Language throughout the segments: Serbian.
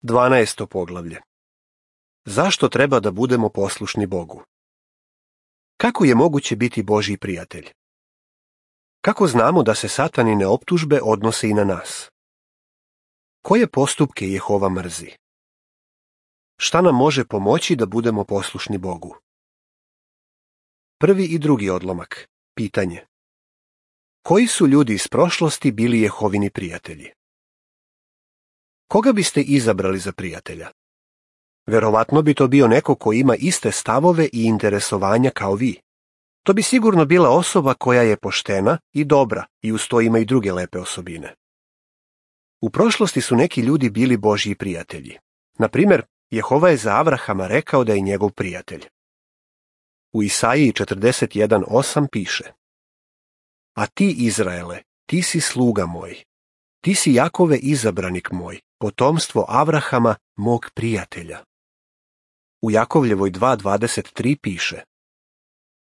12. poglavlje. Zašto treba da budemo poslušni Bogu? Kako je moguće biti Božji prijatelj? Kako znamo da se satanine optužbe odnose i na nas? Koje postupke Jehova mrzi? Šta nam može pomoći da budemo poslušni Bogu? Prvi i drugi odlomak. Pitanje. Koji su ljudi iz prošlosti bili Jehovini prijatelji? Koga biste izabrali za prijatelja? Verovatno bi to bio neko ko ima iste stavove i interesovanja kao vi. To bi sigurno bila osoba koja je poštena i dobra i uz to ima i druge lepe osobine. U prošlosti su neki ljudi bili Božji prijatelji. Na primjer, Jehova je za Avrahama rekao da je njegov prijatelj. U Isaiji 41:8 piše: A ti, Izraele, ti si sluga moj. Ti si Jakove izabranik moj, potomstvo Avrahama, mog prijatelja. U Jakovljevoj 2:23 piše: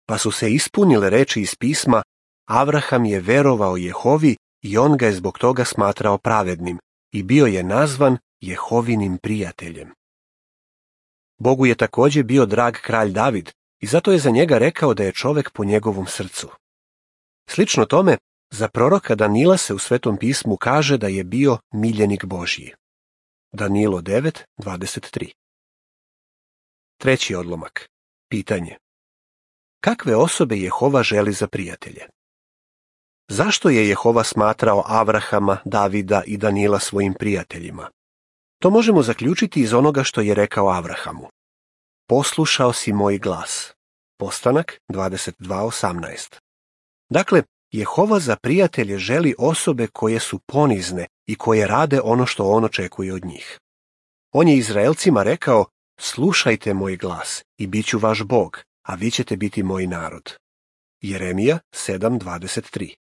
Pa su se ispunile reči iz pisma, Avraham je verovao Jehovi i on ga je zbog toga smatrao pravednim i bio je nazvan Jehovinim prijateljem. Bogu je također bio drag kralj David i zato je za njega rekao da je čovek po njegovom srcu. Slično tome, za proroka Danila se u Svetom pismu kaže da je bio miljenik Božji. Danilo 9:23. Treći odlomak. Pitanje. Kakve osobe Jehova želi za prijatelje? Zašto je Jehova smatrao Avrahama, Davida i Danila svojim prijateljima? To možemo zaključiti iz onoga što je rekao Avrahamu. Poslušao si moj glas. Postanak 22:18. Dakle, Jehova za prijatelje želi osobe koje su ponizne i koje rade ono što on očekuje od njih. On je Izraelcima rekao: Slušajte moj glas i bit ću vaš Bog, a vi ćete biti moj narod. Jeremija 7:23.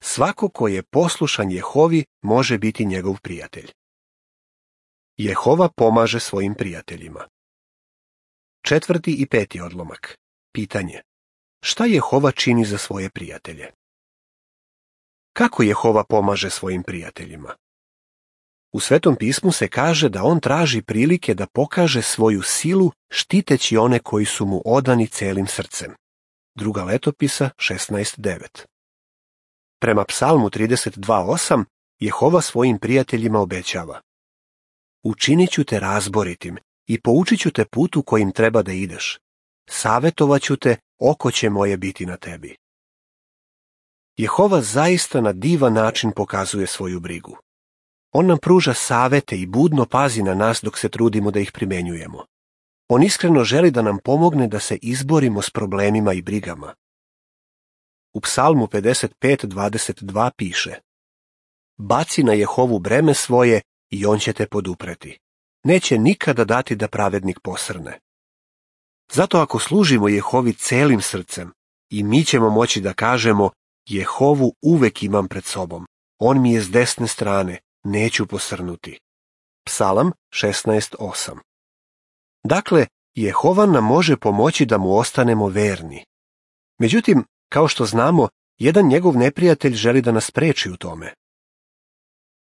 Svako ko je poslušan Jehovi može biti njegov prijatelj. Jehova pomaže svojim prijateljima. Četvrti i peti odlomak. Pitanje. Šta Jehova čini za svoje prijatelje? Kako Jehova pomaže svojim prijateljima? U Svetom pismu se kaže da on traži prilike da pokaže svoju silu štiteći one koji su mu odani celim srcem. Druga letopisa 16:9. Prema Psalmu 32:8 Jehova svojim prijateljima obećava: Učinit ću te razboritim i poučit ću te putu kojim treba da ideš. Savetovat ću te, oko će moje biti na tebi. Jehova zaista na divan način pokazuje svoju brigu. On nam pruža savete i budno pazi na nas dok se trudimo da ih primenjujemo. On iskreno želi da nam pomogne da se izborimo s problemima i brigama. U Psalmu 55:22 piše: Baci na Jehovu breme svoje i on će te podupreti. Neće nikada dati da pravednik posrne. Zato ako služimo Jehovi celim srcem, i mi ćemo moći da kažemo: Jehovu uvek imam pred sobom. On mi je s desne strane, neću posrnuti. Psalam 16:8. Dakle, Jehova nam može pomoći da mu ostanemo verni. Međutim, kao što znamo, jedan njegov neprijatelj želi da nas spreči u tome.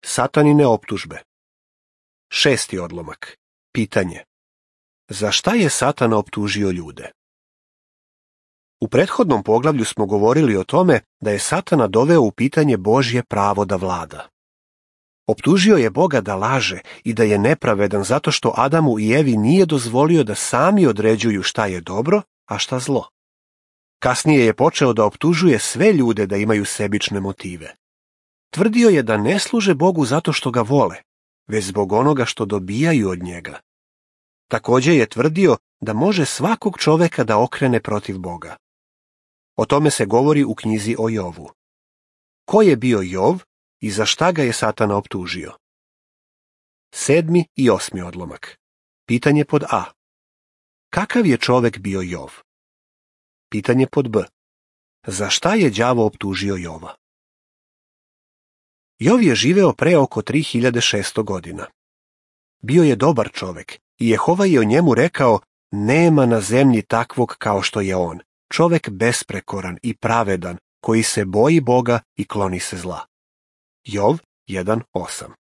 Satanine optužbe. Šesti odlomak. Pitanje. Za šta je Satan optužio ljude? U prethodnom poglavlju smo govorili o tome da je Satana doveo u pitanje Božje pravo da vlada. Optužio je Boga da laže i da je nepravedan zato što Adamu i Evi nije dozvolio da sami određuju šta je dobro, a šta zlo. Kasnije je počeo da optužuje sve ljude da imaju sebične motive. Tvrdio je da ne služe Bogu zato što ga vole, već zbog onoga što dobijaju od njega. Također je tvrdio da može svakog čoveka da okrene protiv Boga. O tome se govori u knjizi o Jovu. Ko je bio Jov i za šta ga je Satana optužio? Sedmi i osmi odlomak. Pitanje pod A. Kakav je čovek bio Jov? Pitanje pod B. Za šta je đavo optužio Jova? Jov je živeo pre oko 3600 godina. Bio je dobar čovek i Jehova je o njemu rekao: Nema na zemlji takvog kao što je on, čovek besprekoran i pravedan, koji se boji Boga i kloni se zla. Jov 1:8.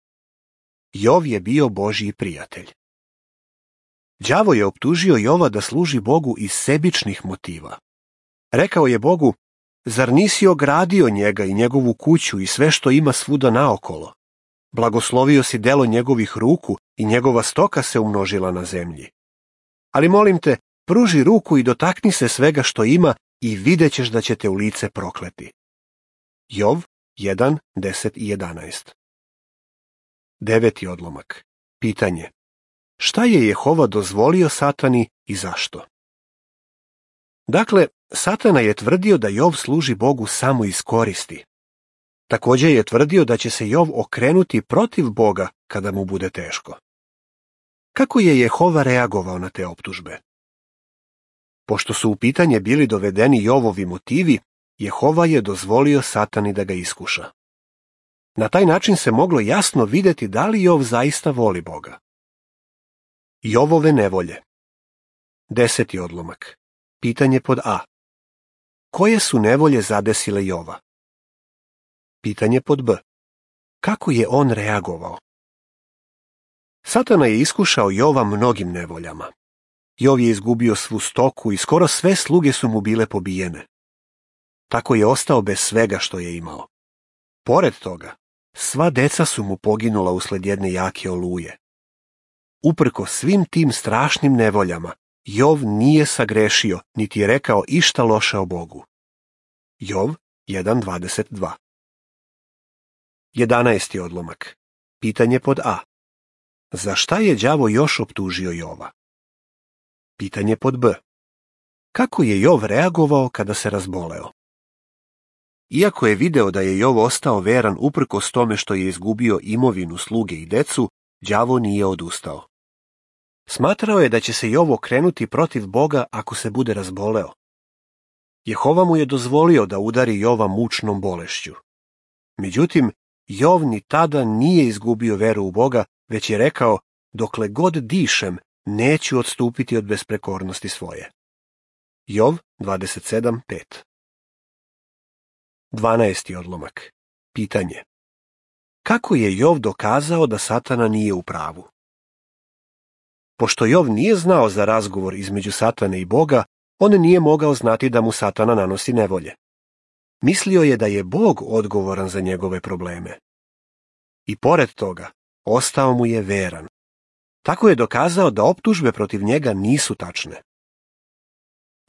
Jov je bio Božji prijatelj. Đavo je optužio Jova da služi Bogu iz sebičnih motiva. Rekao je Bogu: zar nisi ogradio njega i njegovu kuću i sve što ima svuda naokolo? Blagoslovio si delo njegovih ruku i njegova stoka se umnožila na zemlji. Ali molim te, pruži ruku i dotakni se svega što ima i vidjet ćeš da će te u lice prokleti. Jov 1, 10 i 11. 9. odlomak. Pitanje: šta je Jehova dozvolio Satani i zašto? Dakle, Satana je tvrdio da Jov služi Bogu samo iz koristi. Također je tvrdio da će se Jov okrenuti protiv Boga kada mu bude teško. Kako je Jehova reagovao na te optužbe? Pošto su u pitanje bili dovedeni Jovovi motivi, Jehova je dozvolio Satani da ga iskuša. Na taj način se moglo jasno vidjeti da li Jov zaista voli Boga. Jovove nevolje. 10. odlomak. Pitanje pod A. Koje su nevolje zadesile Jova? Pitanje pod B. Kako je on reagovao? Satana je iskušao Jova mnogim nevoljama. Jov je izgubio svu stoku i skoro sve sluge su mu bile pobijene. Tako je ostao bez svega što je imao. Pored toga, sva deca su mu poginula usled jedne jake oluje. Uprkos svim tim strašnim nevoljama, Jov nije sagrešio, niti je rekao išta loše o Bogu. Jov 1.22. 11. odlomak. Pitanje pod A. Za šta je đavo još optužio Jova? Pitanje pod B. Kako je Jov reagovao kada se razboleo? Iako je video da je Jov ostao veran uprkos tome što je izgubio imovinu, sluge i decu, đavo nije odustao. Smatrao je da će se Jov okrenuti protiv Boga ako se bude razboleo. Jehova mu je dozvolio da udari Jova mučnom bolešću. Međutim, Jov ni tada nije izgubio veru u Boga, već je rekao: dokle god dišem, neću odstupiti od besprekornosti svoje. Jov 27.5. 12. odlomak. Pitanje: kako je Jov dokazao da Satana nije u pravu? Pošto Jov nije znao za razgovor između Satane i Boga, on nije mogao znati da mu Satana nanosi nevolje. Mislio je da je Bog odgovoran za njegove probleme. I pored toga, ostao mu je veran. Tako je dokazao da optužbe protiv njega nisu tačne.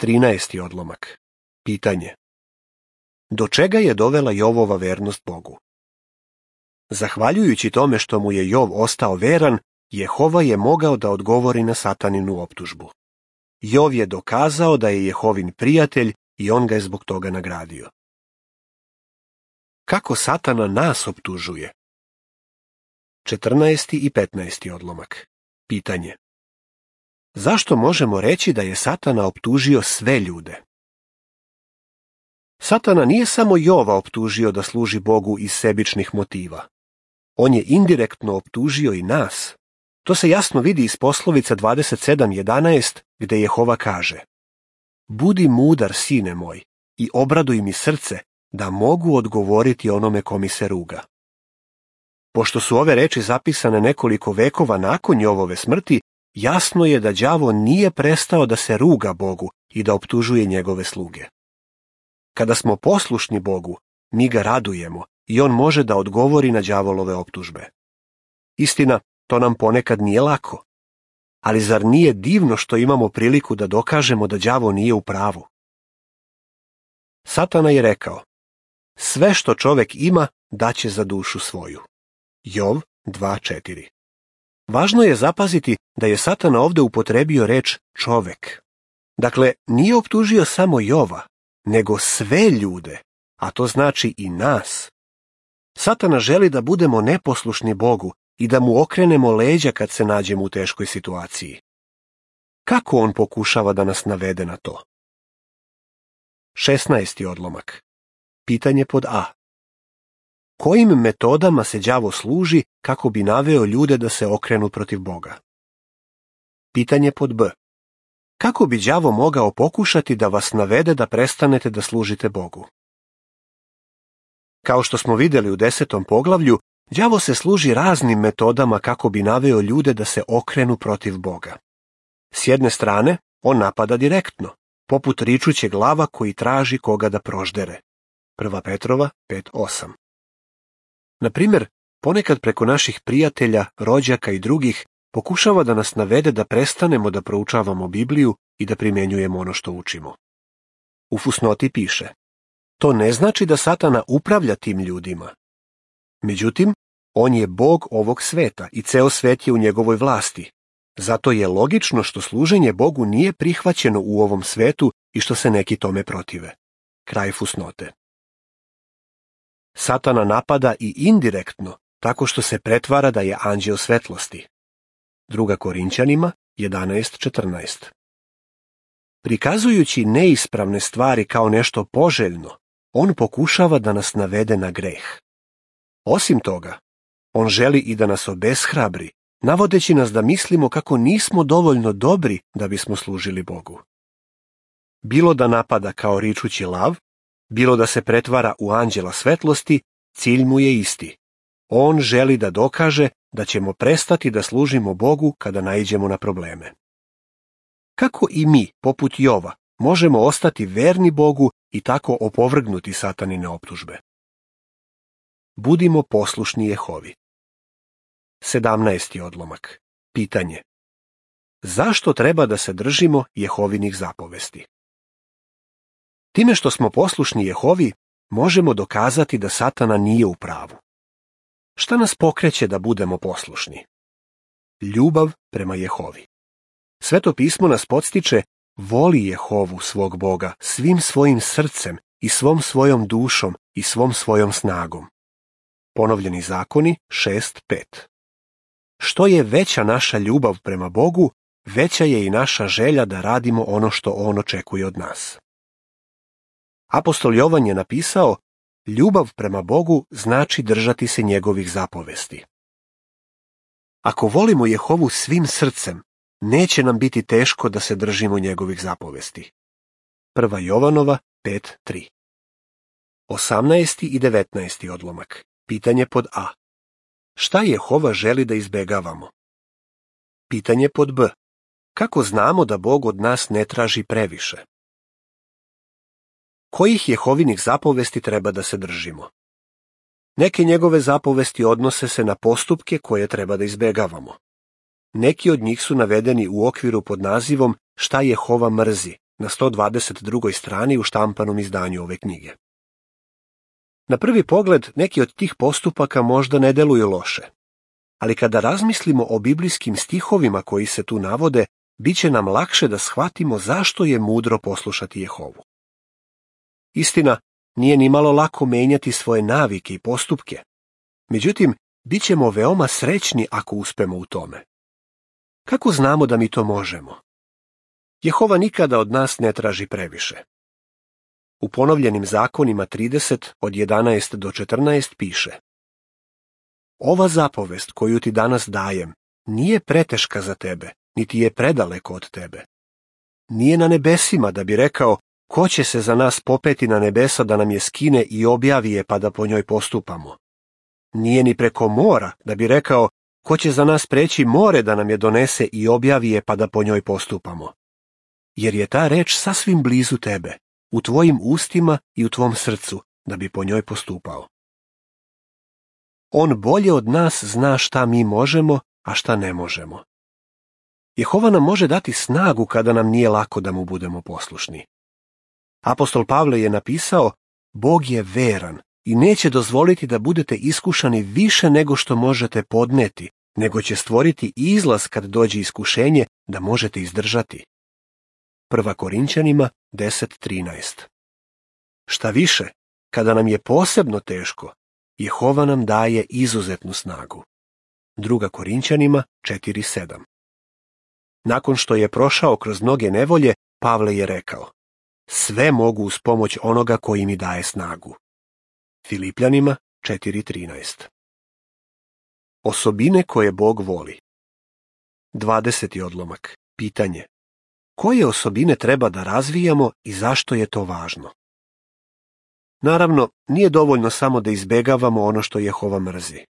13. odlomak. Pitanje: do čega je dovela Jovova vernost Bogu? Zahvaljujući tome što mu je Jov ostao veran, Jehova je mogao da odgovori na Sataninu optužbu. Jov je dokazao da je Jehovin prijatelj i on ga je zbog toga nagradio. Kako Satana nas optužuje? 14. i 15. odlomak. Pitanje: zašto možemo reći da je Satana optužio sve ljude? Satana nije samo Jova optužio da služi Bogu iz sebičnih motiva. On je indirektno optužio i nas. To se jasno vidi iz poslovica 27.11, gde Jehova kaže: budi mudar, sine moj, i obraduj mi srce, da mogu odgovoriti onome ko mi se ruga. Pošto su ove reči zapisane nekoliko vekova nakon Jovove smrti, jasno je da đavo nije prestao da se ruga Bogu i da optužuje njegove sluge. Kada smo poslušni Bogu, mi ga radujemo i on može da odgovori na đavolove optužbe. Istina, to nam ponekad nije lako. Ali zar nije divno što imamo priliku da dokažemo da đavo nije u pravu? Satana je rekao: sve što čovek ima daće za dušu svoju. Jov 2.4. Važno je zapaziti da je Satana ovde upotrebio reč čovek. Dakle, nije optužio samo Jova, nego sve ljude, a to znači i nas. Satana želi da budemo neposlušni Bogu i da mu okrenemo leđa kad se nađemo u teškoj situaciji. Kako on pokušava da nas navede na to? 16. odlomak. Pitanje pod A. Kojim metodama se đavo služi kako bi naveo ljude da se okrenu protiv Boga? Pitanje pod B. Kako bi đavo mogao pokušati da vas navede da prestanete da služite Bogu? Kao što smo vidjeli u 10. poglavlju, Đavo se služi raznim metodama kako bi naveo ljude da se okrenu protiv Boga. S jedne strane, on napada direktno, poput ričućeg lava koji traži koga da proždere. 1. Petrova 5:8. Na primjer, ponekad preko naših prijatelja, rođaka i drugih pokušava da nas navede da prestanemo da proučavamo Bibliju i da primjenjujemo ono što učimo. U fusnoti piše: to ne znači da Satana upravlja tim ljudima. Međutim, on je Bog ovog sveta i ceo svet je u njegovoj vlasti. Zato je logično što služenje Bogu nije prihvaćeno u ovom svetu i što se neki tome protive. Kraj fusnote. Satana napada i indirektno, tako što se pretvara da je anđeo svetlosti. 2. Korinćanima 11:14. Prikazujući neispravne stvari kao nešto poželjno, on pokušava da nas navede na greh. Osim toga, on želi i da nas obeshrabri, navodeći nas da mislimo kako nismo dovoljno dobri da bismo služili Bogu. Bilo da napada kao ričući lav, bilo da se pretvara u anđela svetlosti, cilj mu je isti. On želi da dokaže da ćemo prestati da služimo Bogu kada naiđemo na probleme. Kako i mi, poput Jova, možemo ostati verni Bogu i tako opovrgnuti Satanine optužbe? Budimo poslušni Jehovi. 17. odlomak. Pitanje. Zašto treba da se držimo Jehovinih zapovesti? Time što smo poslušni Jehovi, možemo dokazati da Satana nije u pravu. Šta nas pokreće da budemo poslušni? Ljubav prema Jehovi. Sveto pismo nas podstiče: voli Jehovu svog Boga svim svojim srcem i svom svojom dušom i svom svojom snagom. Ponovljeni zakoni 6:5. Što je veća naša ljubav prema Bogu, veća je i naša želja da radimo ono što on očekuje od nas. Apostol Jovan je napisao: ljubav prema Bogu znači držati se njegovih zapovesti. Ako volimo Jehovu svim srcem, neće nam biti teško da se držimo njegovih zapovesti. 1. Jovanova 5:3. 18. i 19. odlomak. Pitanje pod A. Šta Jehova želi da izbegavamo? Pitanje pod B. Kako znamo da Bog od nas ne traži previše? Kojih Jehovinih zapovesti treba da se držimo? Neke njegove zapovesti odnose se na postupke koje treba da izbegavamo. Neki od njih su navedeni u okviru pod nazivom Šta Jehova mrzi na 122. strani u štampanom izdanju ove knjige. Na prvi pogled neki od tih postupaka možda ne deluju loše, ali kada razmislimo o biblijskim stihovima koji se tu navode, bit će nam lakše da shvatimo zašto je mudro poslušati Jehovu. Istina, nije ni malo lako menjati svoje navike i postupke. Međutim, bit ćemo veoma srećni ako uspemo u tome. Kako znamo da mi to možemo? Jehova nikada od nas ne traži previše. U ponovljenim zakonima 30 od 11 do 14 piše: ova zapovest koju ti danas dajem nije preteška za tebe, niti je predaleko od tebe. Nije na nebesima da bi rekao: ko će se za nas popeti na nebesa da nam je skine i objavi je pa da po njoj postupamo. Nije ni preko mora da bi rekao: ko će za nas preći more da nam je donese i objavi je pa da po njoj postupamo. Jer je ta reč sasvim blizu tebe, u tvojim ustima i u tvom srcu, da bi po njoj postupao. On bolje od nas zna šta mi možemo, a šta ne možemo. Jehova nam može dati snagu kada nam nije lako da mu budemo poslušni. Apostol Pavle je napisao: Bog je veran i neće dozvoliti da budete iskušani više nego što možete podneti, nego će stvoriti izlaz kad dođe iskušenje da možete izdržati. 1. Korinćanima 10:13. Šta više, kada nam je posebno teško, Jehova nam daje izuzetnu snagu. 2. Korinćanima 4:7. Nakon što je prošao kroz mnoge nevolje, Pavle je rekao: sve mogu uz pomoć onoga koji mi daje snagu. Filipljanima 4:13. Osobine koje Bog voli. 20. odlomak. Pitanje: koje osobine treba da razvijamo i zašto je to važno? Naravno, nije dovoljno samo da izbegavamo ono što Jehova mrzi.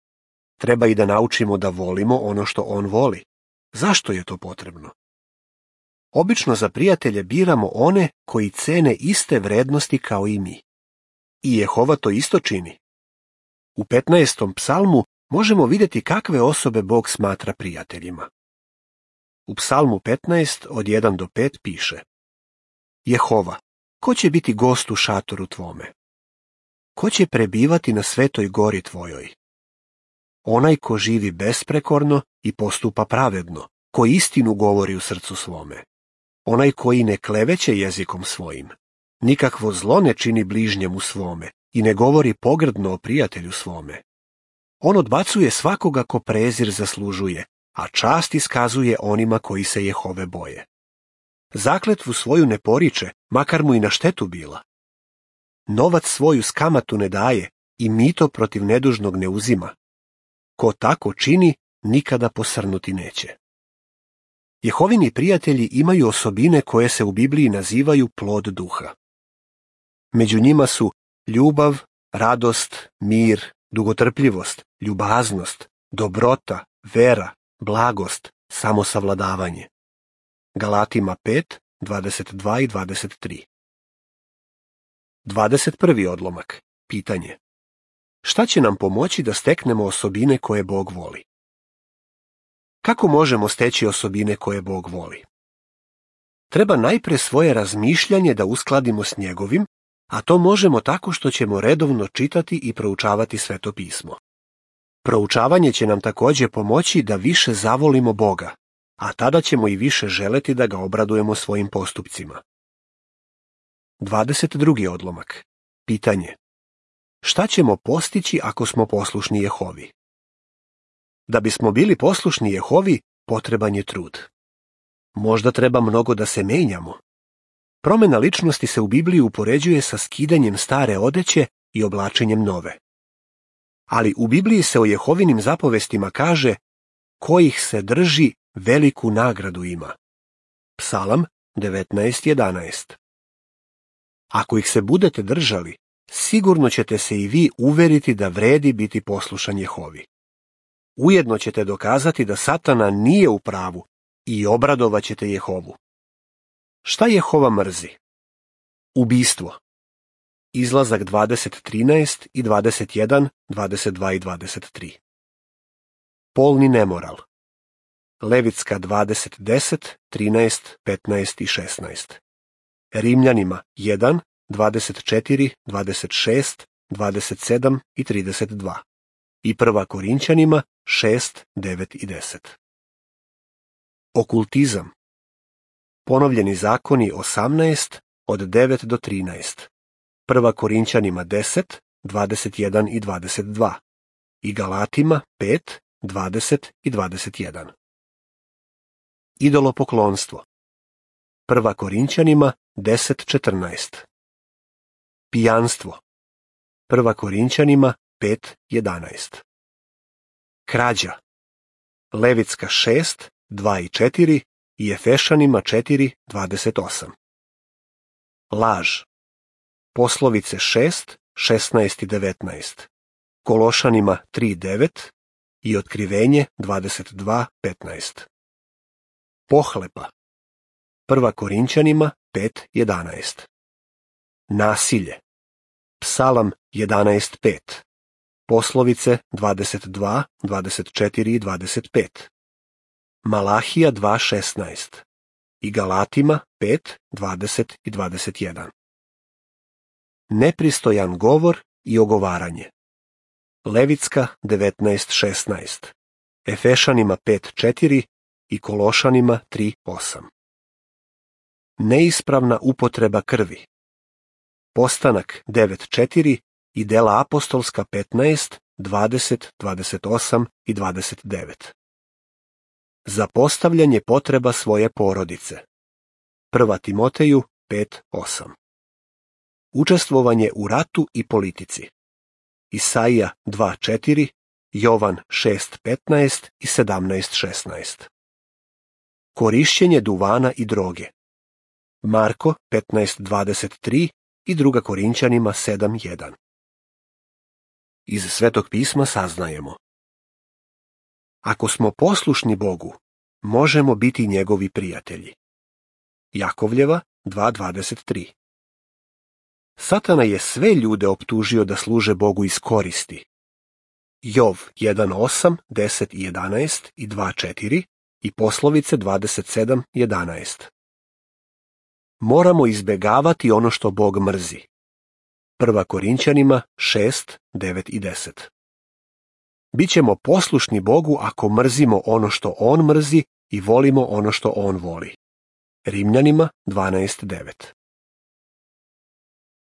Treba i da naučimo da volimo ono što on voli. Zašto je to potrebno? Obično za prijatelje biramo one koji cene iste vrednosti kao i mi. I Jehova to isto čini. U 15. psalmu možemo vidjeti kakve osobe Bog smatra prijateljima. U psalmu 15 od 1 do 5 piše: Jehova, ko će biti gost u šatoru tvome? Ko će prebivati na svetoj gori tvojoj? Onaj ko živi besprekorno i postupa pravedno, ko istinu govori u srcu svome. Onaj koji ne kleveće jezikom svojim, nikakvo zlo ne čini bližnjemu svome i ne govori pogrdno o prijatelju svome. On odbacuje svakoga ko prezir zaslužuje, a čast iskazuje onima koji se Jehove boje. Zakletvu svoju ne poriče, makar mu i na štetu bila. Novac svoju s kamatu ne daje i mito protiv nedužnog ne uzima. Ko tako čini, nikada posrnuti neće. Jehovini prijatelji imaju osobine koje se u Bibliji nazivaju plod duha. Među njima su ljubav, radost, mir, dugotrpljivost, ljubaznost, dobrota, vera, blagost, samosavladavanje. Galatima 5, 22 i 23. 21. odlomak. Pitanje. Šta će nam pomoći da steknemo osobine koje Bog voli? Kako možemo steći osobine koje Bog voli? Treba najpre svoje razmišljanje da uskladimo s njegovim, a to možemo tako što ćemo redovno čitati i proučavati Sveto pismo. Proučavanje će nam također pomoći da više zavolimo Boga, a tada ćemo i više želeti da ga obradujemo svojim postupcima. 22. odlomak. Pitanje. Šta ćemo postići ako smo poslušni Jehovi? Da bismo bili poslušni Jehovi, potreban je trud. Možda treba mnogo da se menjamo. Promjena ličnosti se u Bibliji upoređuje sa skidanjem stare odeće i oblačenjem nove. Ali u Bibliji se o Jehovinim zapovestima kaže: kojih se drži, veliku nagradu ima. Psalam 19.11. Ako ih se budete držali, sigurno ćete se i vi uveriti da vredi biti poslušan Jehovi. Ujedno ćete dokazati da Satana nije u pravu i obradovat ćete Jehovu. Šta Jehova mrzi? Ubistvo. Izlazak 20.13 i 21, 22 i 23. Polni nemoral. Levitska 20.10, 13, 15 i 16. Rimljanima 1, 24, 26, 27 i 32. I 1. Korinćanima 6, 9 i 10. Okultizam. Ponovljeni zakoni 18 od 9 do 13. 1. Korinćanima 10, 21 i 22. I Galatima 5, 20 i 21. Idolopoklonstvo. 1. Korinćanima 10.14. Pijanstvo. 1. Korinćanima 5.11. Krađa. Levitska 6, 2 i 4 i Efešanima 4.28. Laž. Poslovice 6, 16 i 19. Kološanima 3.9 i Otkrivenje 22.15. Pohlepa. 1. Korinćanima 5.11. Nasilje. Psalam 11.5. Poslovice 22, 24 i 25. Malahija 2.16. I Galatima 5, 20 i 21. Nepristojan govor i ogovaranje. Levitska 19.16. Efešanima 5.4 i Kološanima 3.8. Neispravna upotreba krvi. Postanak 9.4 i Dela apostolska 15, 20, 28 i 29. Zapostavljanje potreba svoje porodice. 1. Timoteju 5.8. Učestvovanje u ratu i politici. Isaija 2.4, Jovan 6.15 i 17.16. Korišćenje duvana i droge. Marko 15.23 i 2. Korinćanima 7.1. Iz Svetog pisma saznajemo: Ako smo poslušni Bogu, možemo biti njegovi prijatelji. Jakovljeva 2.23. Satana je sve ljude optužio da služe Bogu iz koristi. Jov 1.8, 10 i 11 i 2.4 i Poslovice 27.11. Moramo izbjegavati ono što Bog mrzi. 1. Korinćanima 6, 9 i 10. Bićemo poslušni Bogu ako mrzimo ono što On mrzi i volimo ono što On voli. Rimljanima 12.9.